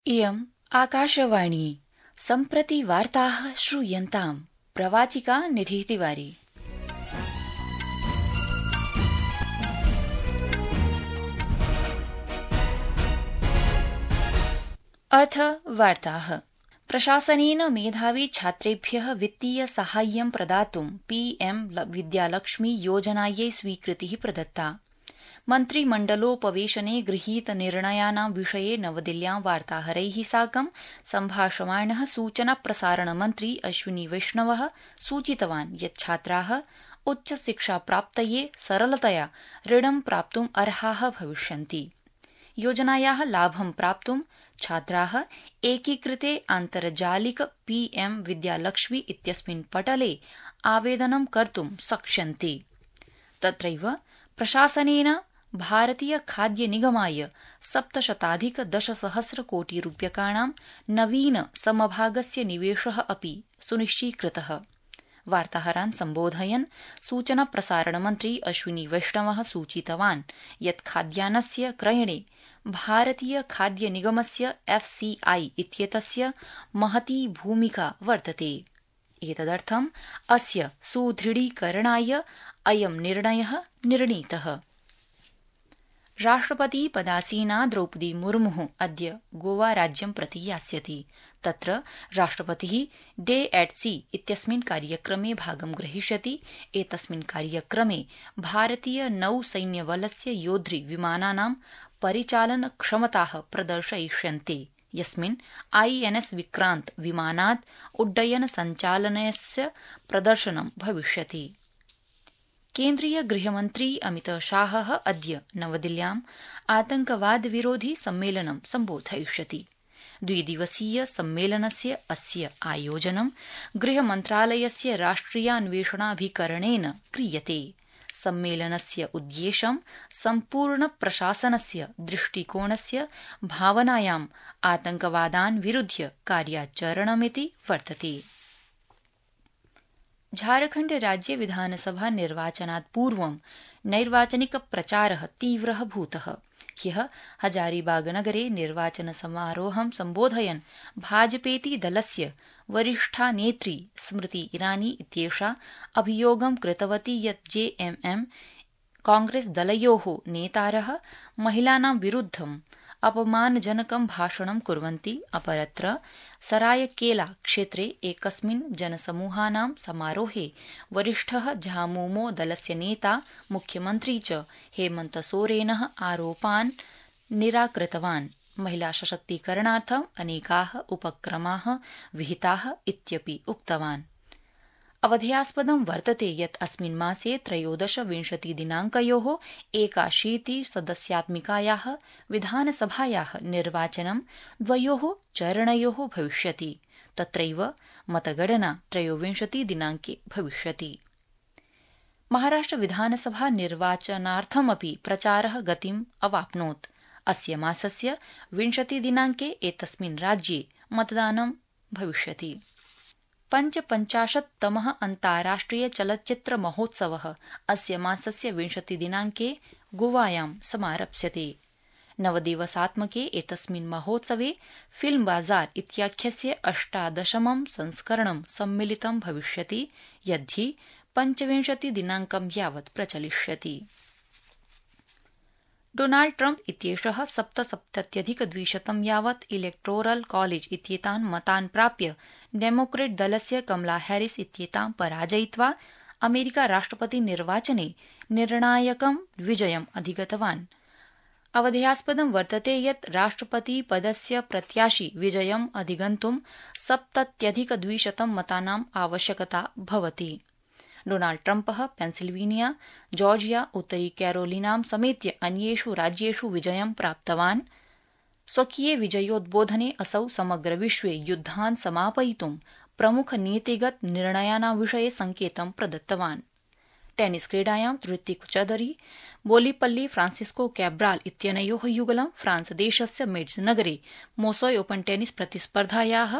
इयम् आकाशवाणी सम्प्रति वार्ताः श्रूयन्ताम् प्रवाचिका निधिः तिवारी। अथ वार्ताः। प्रशासनेन मेधावी छात्रेभ्यः वित्तीय साहाय्यं प्रदातुं पीएम विद्यालक्ष्मी योजनायै स्वीकृतिः प्रदत्ता। मन्त्रिमण्डलोपवेशने गृहीत निर्णयानां विषये नवदिल्ल्यां वार्ताहरैः साकं सम्भाषमाणः सूचना प्रसारणमन्त्री अश्विनी वैष्णवः सूचितवान् यत् छात्राः उच्चशिक्षाप्राप्तये सरलतया ऋणं प्राप्तुम् अर्हाः भविष्यन्ति। योजनायाः लाभं प्राप्तुं छात्राः एकीकृते आन्तर्जालिक पीएम विद्यालक्ष्मी इत्यस्मिन् पटले आवेदनं कर्तुं शक्ष्यन्ति। तत्रैव प्रशासनेन भारतीय खाद्य निगमाय 700,10 कोटिरूप्यकाणां नवीन समभागस्य निवेशः अपि सुनिश्चीकृतः। वार्ताहरान् सम्बोधयन् सूचना प्रसारणमन्त्री अश्विनी वैष्णवः सूचितवान् यत् खाद्यान्नस्य क्रयणे भारतीय खाद्य निगमस्य एफसीआई इत्येतस्य महती भूमिका वर्तते। एतदर्थम् अस्य सुदृढीकरणाय अयं निर्णयः निर्णीतः। राष्ट्रपति पदासीना द्रौपदी मुर्मुः अद्य गोवा राज्यं प्रति यास्यति। तत्र राष्ट्रपतिः डे एट सी इत्यस्मिन् कार्यक्रमे भागं ग्रहीष्यति। एतस्मिन् कार्यक्रमे भारतीय नौसैन्यबलस्य योद्धृ विमानानां परिचालन क्षमताः प्रदर्शयिष्यन्ते, यस्मिन् आईएनएस विक्रांत विमानात् उड्डयन सञ्चालनस्य प्रदर्शनं भविष्यति। केन्द्रीय गृहमन्त्री अमितशाहः अद्य नवदिल्ल्याम् आतंकवाद विरोधि सम्मेलनं सम्बोधयिष्यति। द्विदिवसीय सम्मेलनस्य अस्य आयोजनं गृहमन्त्रालयस्य राष्ट्रियान्वेषणाभिकरणेन क्रियते। सम्मेलनस्य उद्देश्यं सम्पूर्ण प्रशासनस्य दृष्टिकोणस्य भावनायाम् आतंकवादान् विरुध्य कार्याचरणमिति वर्तते। झारखण्ड राज्ये विधानसभा निर्वाचनात् पूर्वं नैर्वाचनिक प्रचारः तीव्रः भूतः। ह्यः हजारीबागनगरे निर्वाचन समारोहं सम्बोधयन् भाजपेति दलस्य वरिष्ठा नेत्री स्मृति ईरानी इत्येषा अभियोगं कृतवती यत् जेएमएम कांग्रेस दलयोः नेतारः महिलानां विरुद्धं अपमानजनकं भाषणं कुर्वन्ति। अपरत्र सरायकेला क्षेत्रे एकस्मिन् जनसमूहानां समारोहे वरिष्ठः झामुमो दलस्य नेता मुख्यमन्त्री च हेमन्त सोरेनः आरोपान् निराकृतवान्। महिला सशक्तीकरणार्थम् अनेकाः उपक्रमाः विहिताः इत्यपि उक्तवान्। अवधेयास्पदं वर्तते यत् अस्मिन् मासे 13-20 दिनाङ्कयोः 81 सदस्यात्मिकायाः विधानसभायाः निर्वाचनं द्वयोः चरणयोः भविष्यति। तत्रैव मतगणना 23 दिनाङ्के भविष्यति। महाराष्ट्र विधानसभा निर्वाचनार्थमपि प्रचारः गतिम् अवाप्नोत्। अस्य मासस्य 20 दिनाङ्के एतस्मिन् राज्ये मतदानं भविष्यति। 55तमः अन्ताराष्ट्रिय चलच्चित्र महोत्सवः अस्य मासस्य 20 दिनाङ्के गोवायां समारप्स्यते। नवदिवसात्मके एतस्मिन् महोत्सवे फिल्म बाजार इत्याख्यस्य 18मं संस्करणं सम्मिलितं भविष्यति, यद्धि 25 दिनाङ्कं यावत् प्रचलिष्यति। डोनाल्ड ट्रम्प इत्येषः 77,200 यावत् इलेक्टोरल कॉलेज इत्येतान् मतान् प्राप्य डेमोक्रेट दलस्य कमला हैरिस इत्येतां पराजयित्वा अमेरिका राष्ट्रपति निर्वाचने निर्णायकं विजयम् अधिगतवान्। अवधेयास्पदं वर्तते यत् राष्ट्रपति पदस्य प्रत्याशी विजयम् अधिगन्तुं 70,200 मतानाम् आवश्यकता भवति। डोनाल्ड ट्रम्पः पेन्सिल्वेनिया, जॉर्जिया, उत्तरी कैरोलिनां समेत्य अन्येषु राज्येषु विजयं प्राप्तवान्। स्वकीये विजयोद्बोधने असौ समग्र विश्वे युद्धान् समापयितुं प्रमुख नीतिगत निर्णयानां विषये संकेतं प्रदत्तवान्। टेनिस क्रीडायां ऋत्विक चौधरी बोलीपल्ली फ्रांसिस्को कैब्राल इत्यनयोः युगलं फ्रांस देशस्य मेड्स् नगरे मोसोय ओपन टेनिस प्रतिस्पर्धायाः